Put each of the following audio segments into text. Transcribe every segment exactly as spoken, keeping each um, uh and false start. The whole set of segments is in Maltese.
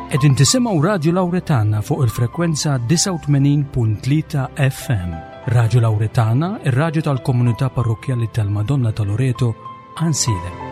Qegħdin tisimgħu Radju Lawretana fuq il-frekwenza disgħa u tmenin punt tlieta F M. Radju Lawretana, ir-radju tal-Komunità Parrokkjali tal-Madonna ta' Loreto, Għajnsielem.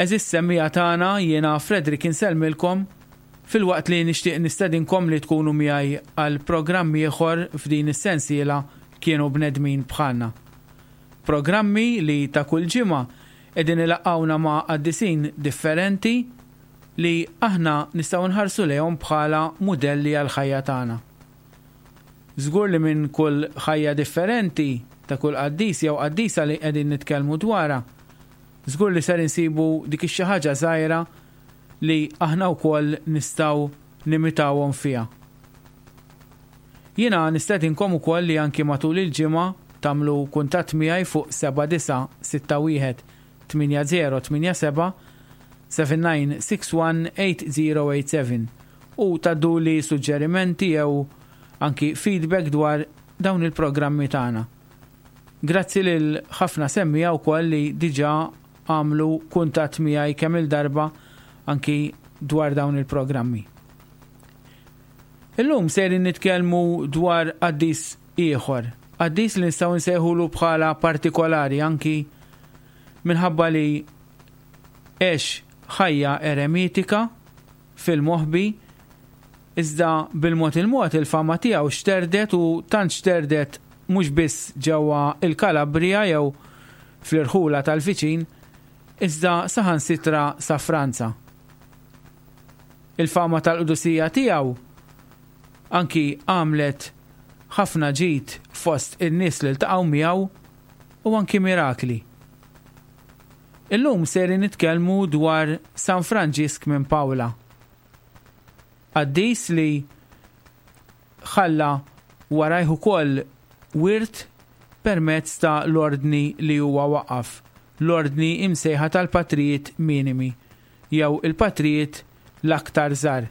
Għeżież semmiegħa tagħna, jiena Frederick insellmilkom filwaqt li nixtieq nistedinkom li tkunu miegħi għal programmi ieħor f'din is-sensiela "Kienu Bnedmin Bħalna". Programmi li ta' kull ġimgħa qegħdin ilaqqgħuna ma' qaddisin differenti li aħna nistgħu nħarsu lejhom bħala mudelli għal ħajja tagħna. Żgur li minn kull ħajja differenti ta' kull qaddis jew qaddisa li qegħdin nitkellmu dwarha, żgur li ser insibu dik ix-xi ħaġa żgħira li aħna wkoll nistgħu nimitawhom fiha. Jiena nistedinkom ukoll li anki matul il-ġimgħa tagħmlu kuntatt miegħi fuq seba' disa' sitta wieħed tmienja żero tmienja seba' seven nine six one eight zero eight seven u tgħadduli suġġerimenti jew anki feedback dwar dawn il-programmi tagħna. Grazzi lil ħafna semmiegħa wkoll li diġà għamlu kuntatt miegħi kemm il-darba anki dwar dawn il-programmi. Illum sejrin nitkellmu dwar qaddis ieħor, qaddis li nistgħu nsejħulu bħala partikolari anki minħabba li għex ħajja eremitika fil-moħbi, iżda bil-mod il-mod il-fama tiegħu xterdet, u tant xterdet mhux biss ġewwa il-Kalabria jew fl-irħula tal-viċin, iżda saħansitra sa Franza. Il-fama tal-qdusija tiegħu anki għamlet ħafna ġid fost in-nies li ltaqgħu miegħu u anki mirakli. Illum sejrin nitkellmu dwar San Franġisk minn Pawla. Qaddis li ħalla warajh ukoll wirt permezz ta' l-ordni li huwa waqaf, l-ordni imsejħa tal-Patrijiet Minimi jew il-Patrijiet l-aktar żgħar.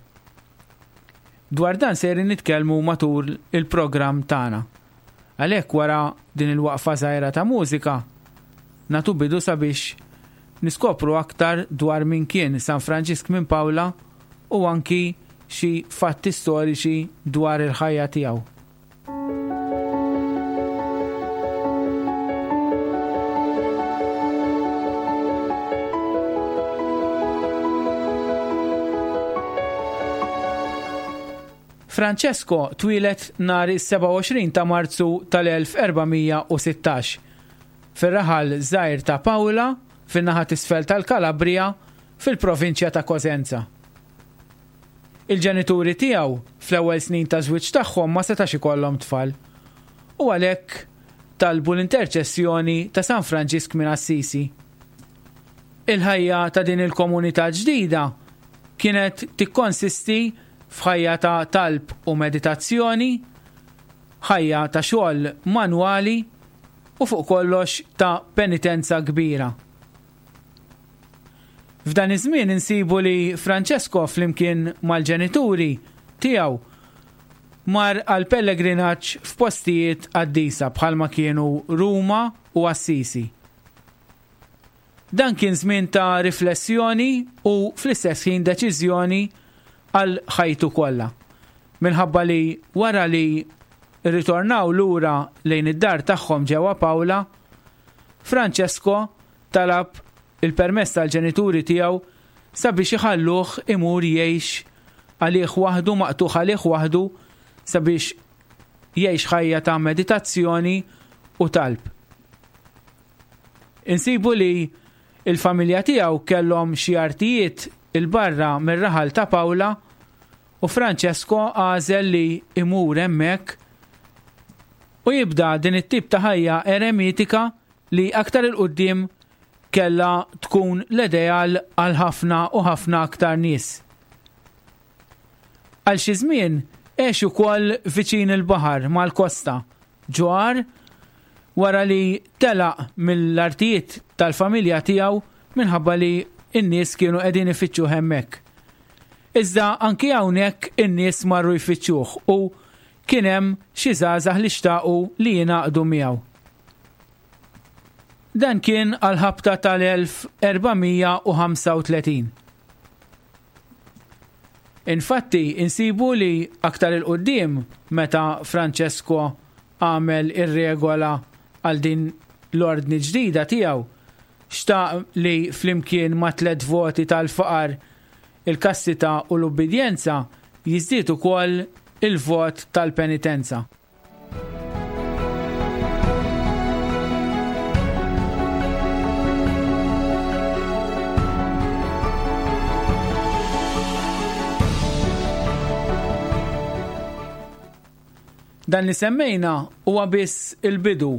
Dwar dan sejrin nitkellmu matul il-programm tagħna. Għalhekk, wara din il-waqfa żgħira ta' mużika, nagħtu bidu sabiex niskopru aktar dwar min kien San Franġisk minn Pawla u anki xi fatti storiċi dwar il-ħajja tiegħu. Francesco twieled nhar is-sebgħa u għoxrin ta' Marzu tal-elf erba' mija u sittax fir-raħal żgħir ta' Pawla, fin-naħa t'isfel tal-Kalabria, fil-provinċja ta' Cosenza. Il-ġenituri tiegħu fl-ewwel snin ta' żwieġ tagħhom ma setax ikollhom tfal u għalhekk talbu l-interċessjoni ta' San Franġisk minn Assisi. Il-ħajja ta' din il-komunità ġdida kienet tikkonsisti f'ħajja ta' talb u meditazzjoni, ħajja ta' xogħol manwali u fuq kollox ta' penitenza kbira. F'dan iż-żmien insibu li Francesco flimkien mal-ġenituri tiegħu mar għal pellegrinaġġ f'postijiet qaddisa bħalma kienu Ruma u Assisi. Dan kien żmien ta' riflessjoni u fl-istess ħin deċiżjoni għal ħajtu kollha. Minħabba li wara li ritornaw lura lejn id-dar tagħhom ġewwa Pawla, Francesco talab il-permess tal-ġenituri tiegħu sabiex iħalluh imur jgħix għalih waħdu, maqtugħ għalih waħdu, sabiex jgħix ħajja ta' meditazzjoni u talb. Insibu li il-familja tiegħu kellhom xi artijiet 'il barra mir-raħal ta' Pawla u Francesco għażel li imur hemmhekk u jibda din it-tip ta' ħajja eremitika li aktar 'il quddiem kella tkun l-ideal għal ħafna u ħafna aktar nies. Għal xi żmien għex ukoll viċin il-baħar mal-kosta, ġo għar, wara li telaq mill-artijiet tal-familja tiegħu minħabba li n-nies kienu qegħdin ifittxuh hemmhekk. Iżda anki hawnhekk in-nies marru jfittxuh u kien hemm xi żgħażagħ li xtaqu li jingħaqdu miegħu. Dan kien għal-ħabta tal-elf erba' mija u ħamsa u tletin. Infatti, insibu li aktar il-qoddim meta Francesco għamel ir-regola għal din l-ordni ġdida tiegħu, xtaq li flimkien ma' tliet voti tal-faqar, il-kastità u l-ubbidjenza jiżdied ukoll il-vot tal-penitenza. Dan li semmejna huwa biss il-bidu,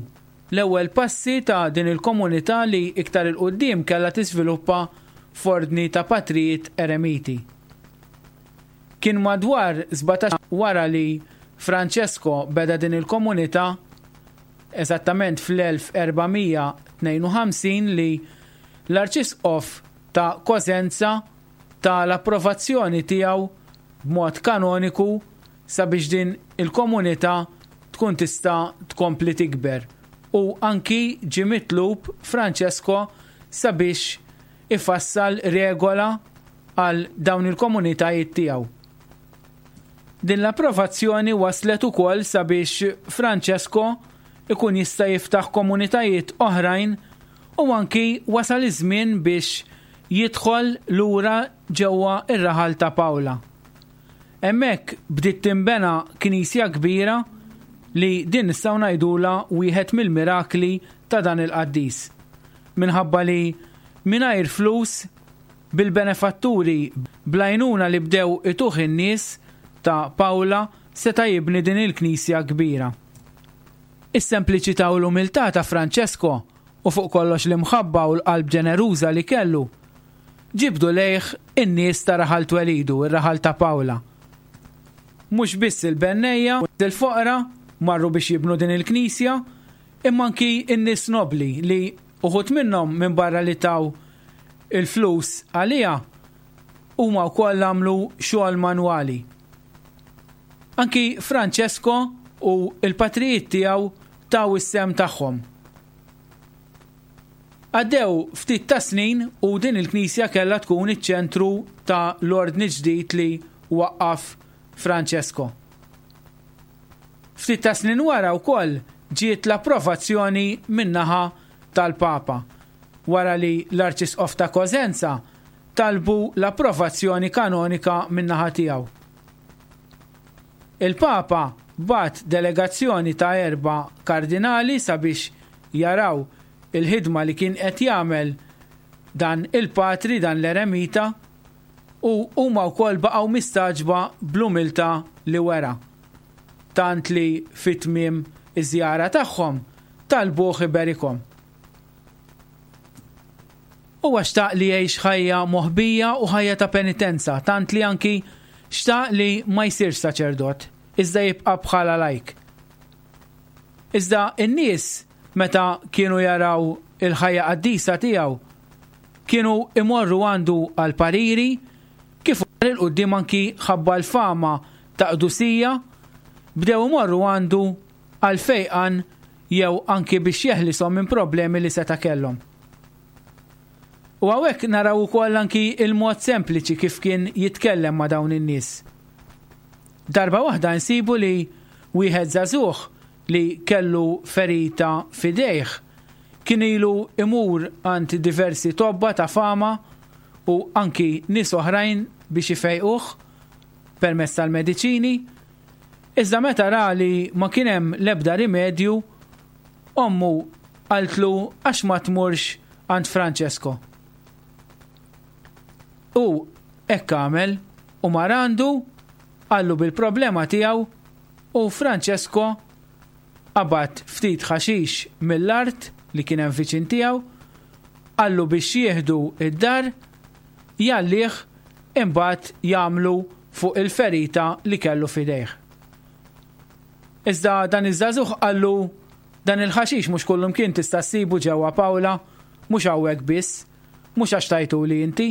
l-ewwel passi ta' din il-komunità li iktar il-qudiem kellha tiżviluppa f'ordni ta' patrijiet eremiti. Kien madwar sbatax wara li Francesco beda din il-komunità, eżattament fl-elf erba' mija tnejn u ħamsin, li l-Arċisqof ta' Cosenza ta l-approvazzjoni tiegħu b'mod kanoniku sabiex din il-komunità tkun tista' tkompli tikber. U anki ġie mitlub Francesco sabiex ifassal regola għal dawn il-komunitajiet tiegħu. Din l-approvazzjoni waslet ukoll sabiex Francesco ikun jista' jiftaħ komunitajiet oħrajn u anki wasal iż-żmien biex jidħol lura ġewwa ir-raħal ta' Paola. Hemmhekk bdiet tinbena knisja kbira li din nistgħu ngħidulha wieħed mill-mirakli ta' dan il-qaddis. Minħabba li mingħajr flus, bil-benefatturi bl-għajnuna li bdew ituh in-nies ta' Paola, seta' jibni din il-knisja kbira. Is-sempliċità u l-umiltà ta' Francesco u fuq kollox l-imħabba u l-qalb ġeneruża li kellu ġibdu lejh in-nies ta' raħal twelidu, ir-raħal ta' Paola. Mhux biss il-bennejja u l-foqra marru biex jibnu din il-knisja, imma anki n-nies nobli li uħud minnhom minn barra li taw il-flus għalija huma wkoll għamlu xogħol manwali. Anki Francesco u l-patrijiet tiegħu taw is-sem tagħhom. Għaddew ftit ta' snin u din il-knisja kellha tkun iċ-ċentru ta' l-ordni ġdid li waqqaf Francesco. Ftit ta' snin wara wkoll ġiet l-approvazzjoni min-naħa tal-Papa, wara li l-Arċisqof ta' Cosenza talbu l-approvazzjoni kanonika min-naħa tiegħu. Il-Papa bat delegazzjoni ta' erba' kardinali sabiex jaraw il-ħidma li kien qed jagħmel dan il-patri, dan l-eremita, u huma wkoll baqgħu mistagħġba bl-umiltà li wera. Tant li fit-tmiem iż-żjara tagħhom talbuh iberikhom. Huwa xtaq li jgħix ħajja moħbija u ħajja ta' penitenza, tant li anki xtaq li ma jsirx saċerdot, iżda jibqa' bħala lajk. Iżda n-nies meta kienu jaraw il-ħajja qaddisa tiegħu, kienu imorru għandu għal pariri, kif il-qudiem anki ħabba l-fama ta' qdusija, bdew imorru għandu għal fejqan jew anki biex jeħlisom minn problemi li seta' kellhom. U hawnhekk naraw ukoll anki il-mod sempliċi kif kien jitkellem ma' dawn in-nies. Darba waħda nsibu li wieħed żagħżugħ li kellu ferita f'idejh kien ilu imur għand diversi tobba ta' fama u anki nies oħrajn biex ifejquh permezz tal-mediċini, iżda meta ra li ma kien hemm l-ebda rimedju, ommu qaltlu għax ma tmurx għand Francesco. U hekk għamel u mar għandu, qallu bil-problema tiegħu, u Francesco qabad ftit ħaxix mill-art li kien hemm viċin tiegħu, qallu biex jieħdu id-dar, jgħallih, imbagħad jagħmlu fuq il-ferita li kellu f'idejh. Iżda dan iż-żagħżugħ qallu dan il-ħaxix mhux kullumkien tista' ssibu ġewwa Pawla, mhux hawnhekk biss, mhux għax tajtuli inti.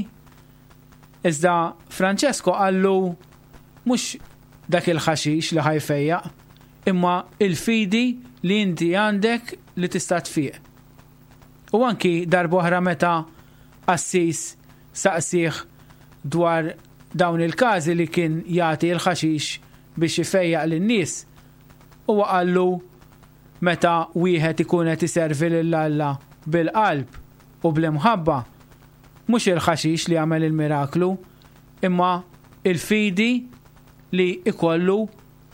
Iżda Francesco qallu mhux dak il-ħaxix li ħa jfejjaq, imma il-fidi li inti għandek li tista' tfiq. U anki darb'oħra meta qassis saqsih dwar dawn il-każi li kien jagħti l-ħaxix biex ifejjaq lin-nies, huwa qallu meta wieħed ikun qed iservi lil Alla bil-qalb u bl-imħabba, mhux il-ħaxix li jagħmel il-miraklu, imma il-fidi li ikollu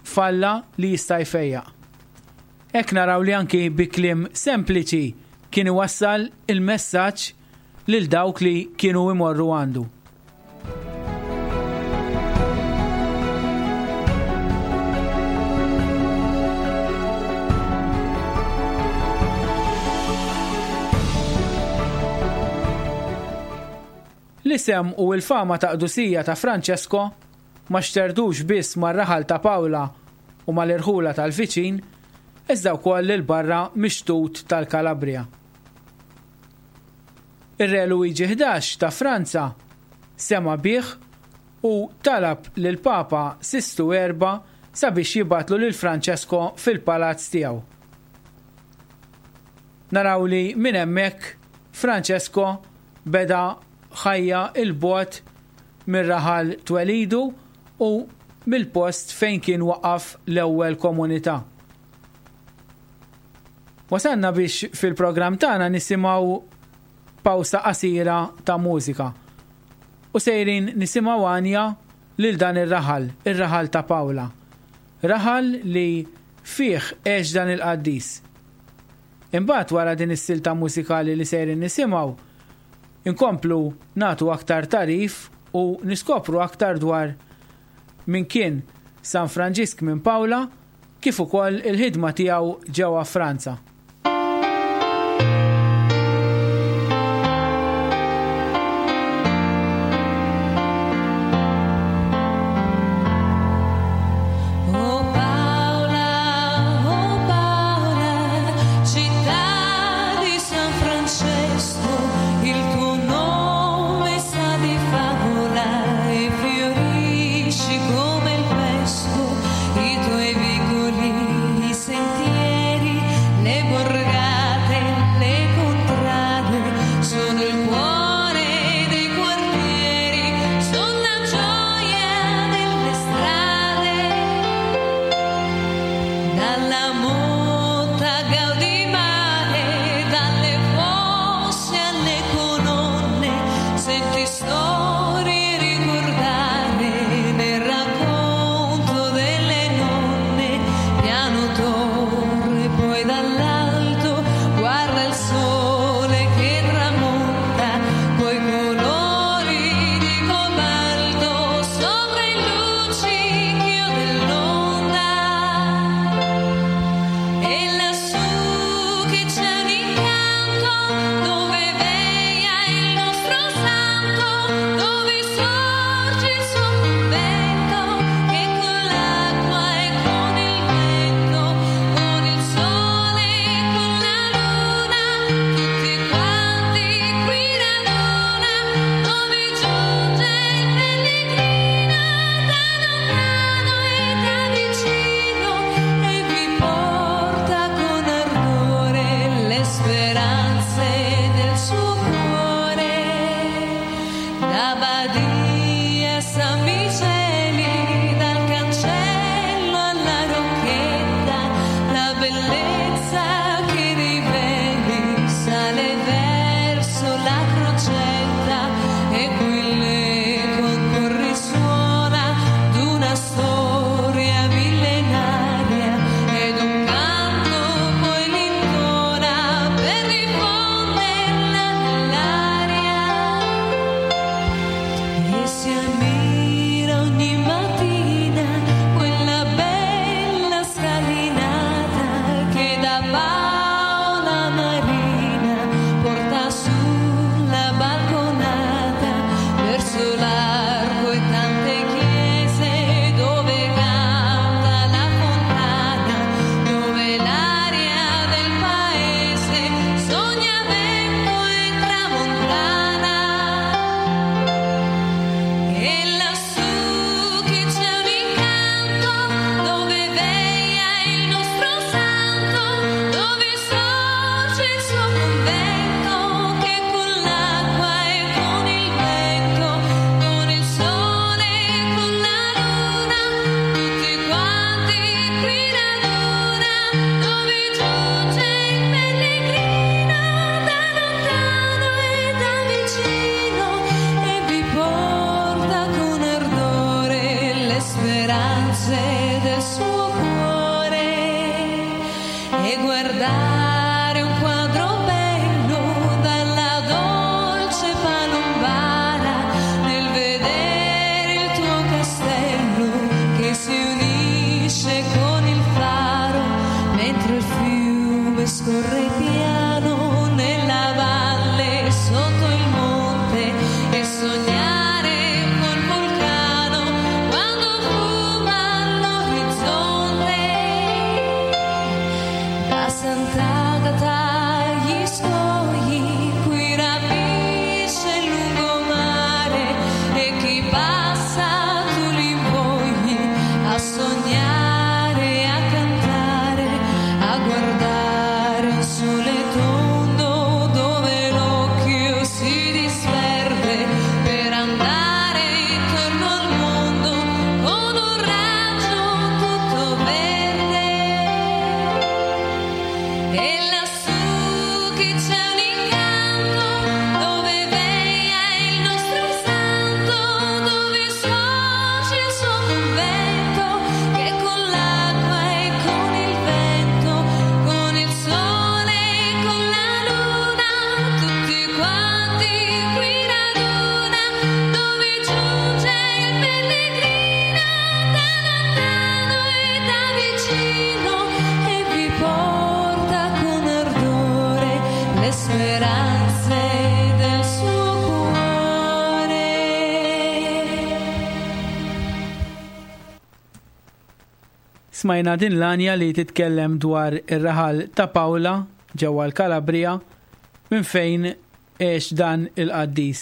f'Alla li jista' jfejjaq. Hekk naraw li anki bi kliem sempliċi kien iwassal il-messaġġ lil dawk li kienu imorru għandu. L-isem u l-fama ta' qdusija ta' Francesco ma xterdux biss mar-raħal ta' Pawla u mal-irħula tal-viċin, iżda wkoll lil barra mix-xtut tal-Kalabria. Ir-Re Luigi ħdax ta' Franza sema bih u talab lil Papa Sistu Erba sabiex jibatlu lil Francesco fil-palazz tiegħu. Naraw li minn hemmhekk Francesco beda ħajja il-bogħod mir-raħal twelidu u mill-post fejn kien waqaf l-ewwel komunità. Wasalna biex fil-programm tagħna nisimgħu pawsa qasira ta' mużika. U sejrin nisimgħu għanja lil dan ir-raħal, ir-raħal ta' Pawla. Raħal li fih għex dan il-qaddis. Imbagħad wara din is-silta mużikali li sejrin nisimgħu, inkomplu nagħtu aktar tarif u niskopru aktar dwar min kien San Franġisk minn Pawla kif ukoll il-ħidma tiegħu ġewwa Franza. Oh Paola, oh Paola, città di San Francesco, il tuo nome sa di favola e fiorisci come il pesco, i tuoi vicoli, i sentieri, le Smajna din l-għanja li titkellem dwar ir-raħal ta' Paola ġewwa l-Kalabria minn fejn għex dan il-qaddis.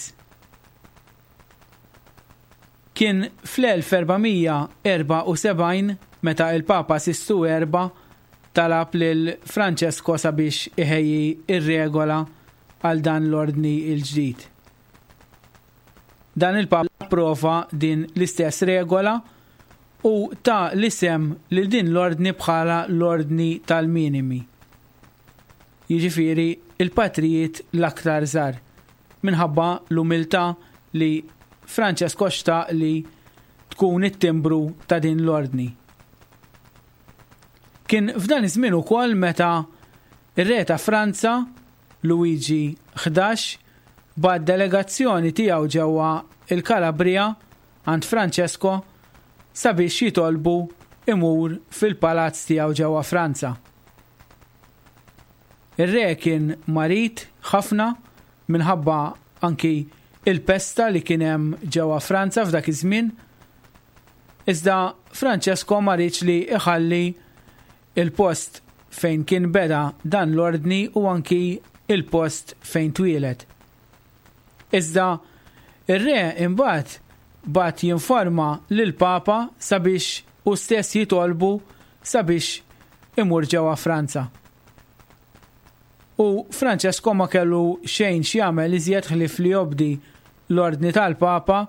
Kien fl-elf erba' mija erbgħa u sebgħin meta il-Papa Sistu Erba talab lil Francesco sabiex iħejji ir-regola għal dan l-ordni il-ġdid. Dan il-Papa approva din l-istess regola u ta l-isem lil din l-ordni bħala l-ordni tal-minimi. Jiġifieri il-patrijiet l-aktar żgħar, minħabba l-umiltà li Francesco xtaq li tkun it-timbru ta' din l-ordni. Kien f'dan iż-żmien ukoll meta ir-re ta' Franza, Luigi ħdax, bagħat delegazzjoni tiegħu ġewwa il-Kalabria għand Francesco sabiex jitolbu imur fil-palazz tiegħu ġewwa Franza. Ir-re kien marid ħafna minħabba anki il-pesta li kien hemm ġewwa Franza f'dak iż-żmien. Iżda Francesco ma riedx li iħalli il-post fejn kien beda dan l-ordni u anki il-post fejn twieled. Iżda ir-re imbagħad bagħat jinforma lil Papa sabiex hu stess jitolbu sabiex imur ġewwa Franza. U Francesco ma kellu xejn x'jagħmel iżjed ħlief li jobdi l-ordni tal-Papa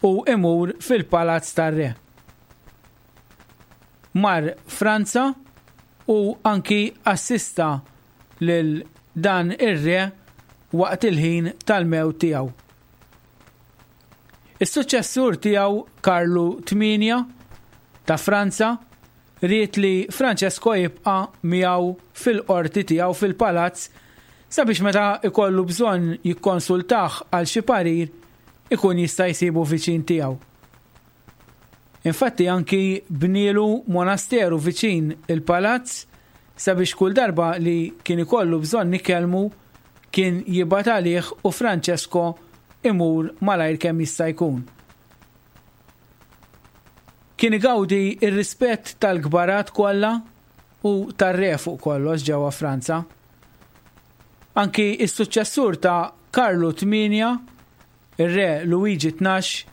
u imur fil-palazz tar-re. Mar Franza u anki assista lil dan ir-re waqt il-ħin tal-mewt tiegħu. Is-suċċessur tiegħu, Karlu Tmienja ta' Franza, ried li Francesco jibqa' miegħu fil-qorti tiegħu fil-palazz sabiex meta ikollu bżonn jikkonsultah għal xi parir ikun jista' jsibu viċin tiegħu. Infatti anki bnielu monasteru viċin il-palazz sabiex kull darba li kien ikollu bżonn ikellmu kien jibgħat għalih u Francesco imur malajr kemm jista' jkun. Kien igawdi ir-rispett tal-kbarat kollha u tar-re fuq kollox ġewwa Franza. Anki is-suċċessur ta' Karlu Tmienja, ir-re Luigi Tnax,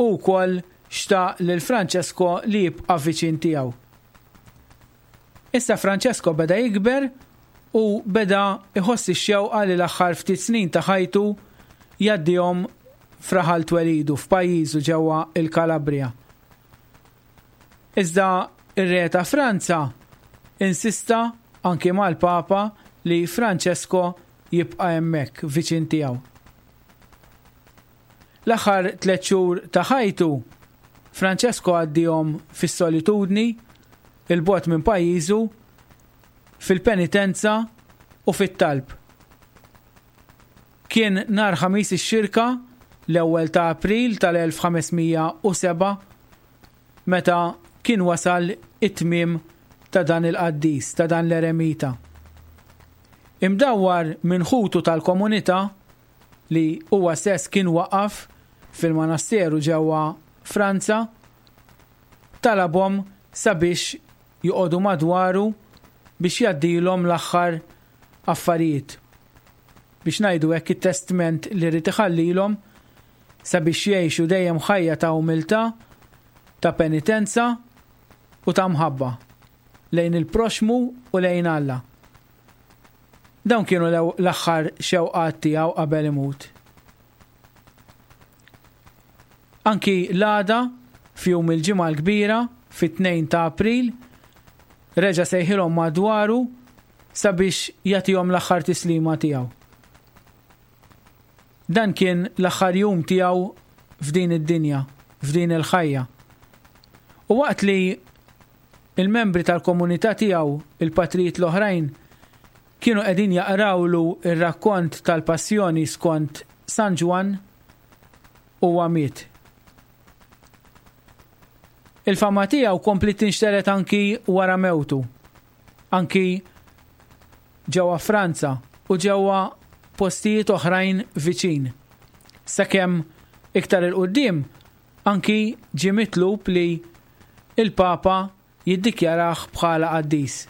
u wkoll xtaq lil Francesco li jibqa' viċin tiegħu. Issa Francesco beda jikber u beda iħoss ix-xewqa li l-aħħar ftit snin ta' ħajtu jgħaddihom f'raħal twelidu f'pajjiżu ġewwa il-Kalabria. Iżda ir-re ta' Franza insista anki mal-Papa li Francesco jibqa' hemmhekk viċin tiegħu. L-aħħar tliet xhur ta' ħajtu Francesco għaddihom fis-solitudni, 'il bogħod minn pajjiżu, fil-penitenza u fit-talb. Kien nhar Ħamis ix-Xirka, l-ewwel ta' April tal-elf ħames mija u sebgħa, meta kien wasal it-tmiem ta' dan il-qaddis, ta' dan l-eremita. Imdawwar minn ħutu tal-komunità li huwa stess kien waqaf fil-monasteru ġewwa Franza, talabhom sabiex joqogħdu madwaru biex jgħaddilhom l-aħħar affarijiet. Biex ngħidu hekk, it-testment li ried iħallilhom sabiex jgħixu dejjem ħajja ta' umiltà, ta' penitenza u ta' mħabba lejn il-proxmu u lejn Alla. Dawn kienu l-aħħar xewqat tiegħu qabel imut. Anki l-għada, f'jum il-Ġimgħa l-Kbira, fit-tnejn ta' April, reġa' sejħilhom madwaru sabiex jagħtihom l-aħħar tislima tiegħu. Dan kien l-aħħar jum tiegħu f'din id-dinja, f'din il-ħajja. U waqt li il-membri tal-komunità tiegħu, il-patrijiet l-oħrajn, kienu qegħdin jaqrawlu ir-rakkont tal-passjoni skont San Ġwann, huwa miet. Il-fama tiegħu kompliet tinxtered anki wara mewtu, anki ġewwa Franza u ġewwa postijiet oħrajn viċin. Sakemm iktar 'il quddiem anki ġie mitlub li il-Papa jiddikjarah bħala qaddis.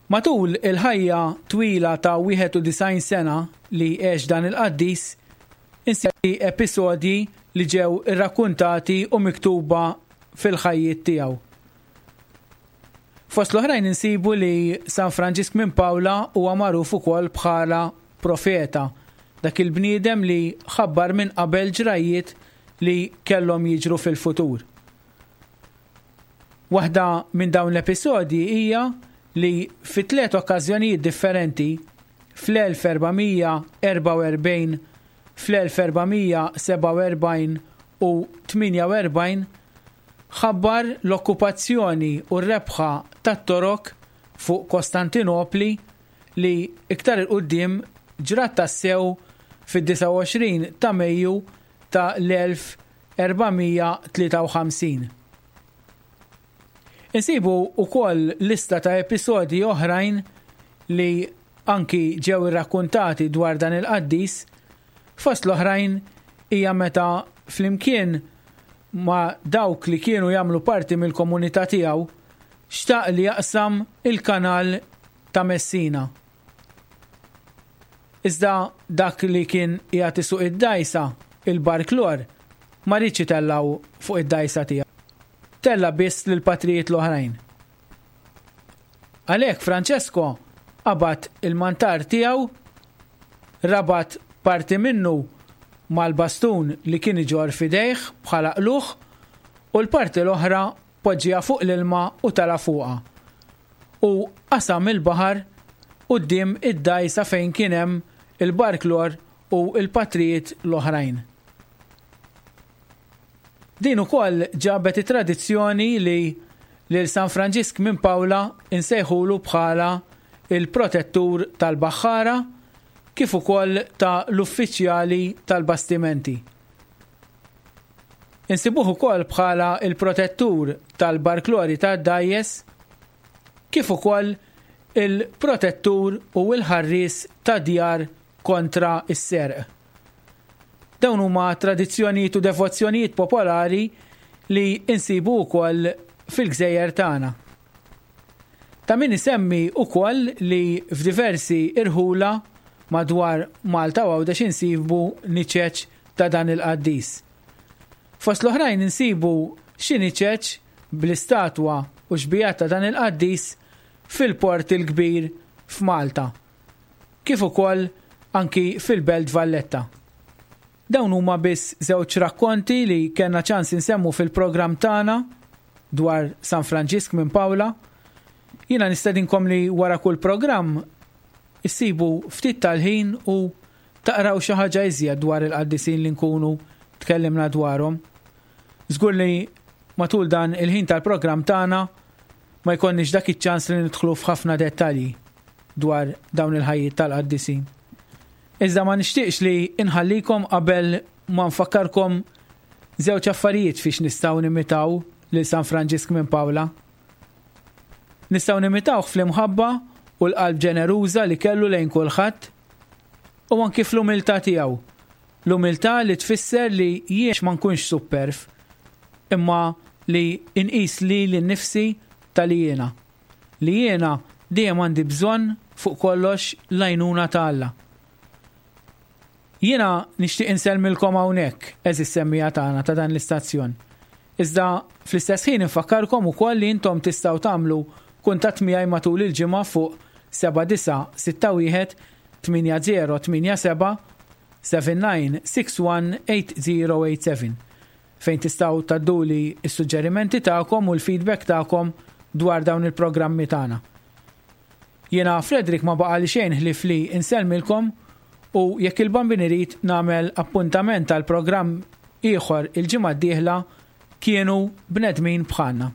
Matul il-ħajja twila ta' wieħed u disgħin sena li għex dan il-qaddis, insibu episodji li ġew irrakkuntati u miktuba fil-ħajjiet tiegħu. Fost l-oħrajn insibu li San Franġisk minn Pawla huwa magħruf ukoll bħala profeta, dak il-bniedem li ħabbar minn qabel ġrajjiet li kellhom jiġru fil-futur. Waħda minn dawn l-episodji hija li fi tliet okkażjonijiet differenti fl-elf erbamija erbgħa u erbgħin, fl-elf erbamija sebgħa u erbgħin u tmienja u erbgħin ħabbar l-okkupazzjoni u r-rebħa tat-Torok fuq Kostantinopli li iktar il-qudiem ġrat tassew fid-disgħa u għoxrin ta' Mejju ta' l-elf erbamija tlieta u ħamsin. Insibu wkoll lista ta' episodji oħrajn li anki ġew irrakkuntati dwar dan il-qaddis, fost l-oħrajn hija meta flimkien ma' dawk li kienu jagħmlu parti mill-komunità tiegħu xtaq li jaqsam il-kanal ta' Messina. Iżda dak li kien qiegħed isuq id-dgħajsa, il-barklor, ma riedx itellgħu fuq id-dgħajsa tiegħu. Tella biss lil patrijiet l-oħrajn. Għalhekk Francesco qabad il-mantar tiegħu, rabat parti minnu mal-bastun li kien iġorr f'idejh bħala qluħ u l-parti l-oħra poġġiha fuq l-ilma u tala fuqha. U qasam il-baħar quddiem id-dgħajsa fejn kien hemm il-barklor u l-patrijiet l-oħrajn. Din ukoll ġabet it-tradizzjoni li lil San Franġisk minn Pawla insejħulu bħala il-protettur tal-baħħara kif ukoll ta' l-uffiċjali tal-bastimenti. Insibuh ukoll bħala il-protettur tal-barklori tad-dgħajjes kif ukoll il-protettur u l-ħarries ta' djar kontra s-serq. Dawn huma tradizzjonijiet u devozzjonijiet popolari li insibu wkoll fil-gżejjer tagħna. Ta' min isemmi wkoll li f'diversi irħula madwar Malta u Għawdex insibu niċeċ ta' dan il-qaddis. Fost l-oħrajn insibu xi niċeċ bl-istatwa u xbijat ta' dan il-qaddis fil-Port il-Kbir f'Malta, kif ukoll anki fil-Belt Valletta. Dawn huma biss żewġ rakkonti li kellna ċans insemmu fil-programm tagħna dwar San Franġisk minn Pawla. Jiena nistedinkom li wara kull programm issibu ftit tal-ħin u taqraw xi ħaġa iżjed dwar il-qaddisin li nkunu tkellimna dwarhom. Żgur li matul dan il-ħin tal-programm tagħna ma jkollniex dak iċ-ċans li nidħlu f'ħafna dettalji dwar dawn il-ħajjiet tal-qaddisin. Iżda ma nixtieqx li inħallikom qabel ma nfakkarkom żewġ affarijiet fiex nistgħu nimitaw lil San Franġisk minn Pawla. Nistgħu nimitawh fl-imħabba u l-qalb ġeneruża li kellu lejn kulħadd u anki fl-umiltà tiegħu. L-umiltà li tfisser li jien ma nkunx superf, imma li inqis li nnifsi tal jiena. Li jiena dejjem għandi bżonn fuq kollox l-għajnuna ta' Alla. Jiena nixtieq insellmilkom hawnhekk, għeżież semmija tagħna ta' dan l-istazzjon. Iżda fl-istess ħin infakkarkom ukoll li intom tistgħu tagħmlu kuntatt miegħi matul il-ġimgħa fuq seba' disa' sitta wieħed tmienja zero tmienja seba' seven nine six one eight zero eight seven fejn tistgħu tadduli s-suġġerimenti tagħkom u l-feedback tagħkom dwar dawn il-programmi tagħna. Jiena Frederick ma baqa' li xejn ħlief li insellmilkom u jekk il-Bambin irid nagħmel appuntament tal-programm ieħor il-ġimgħa d-dieħla kienu bnedmin bħalna.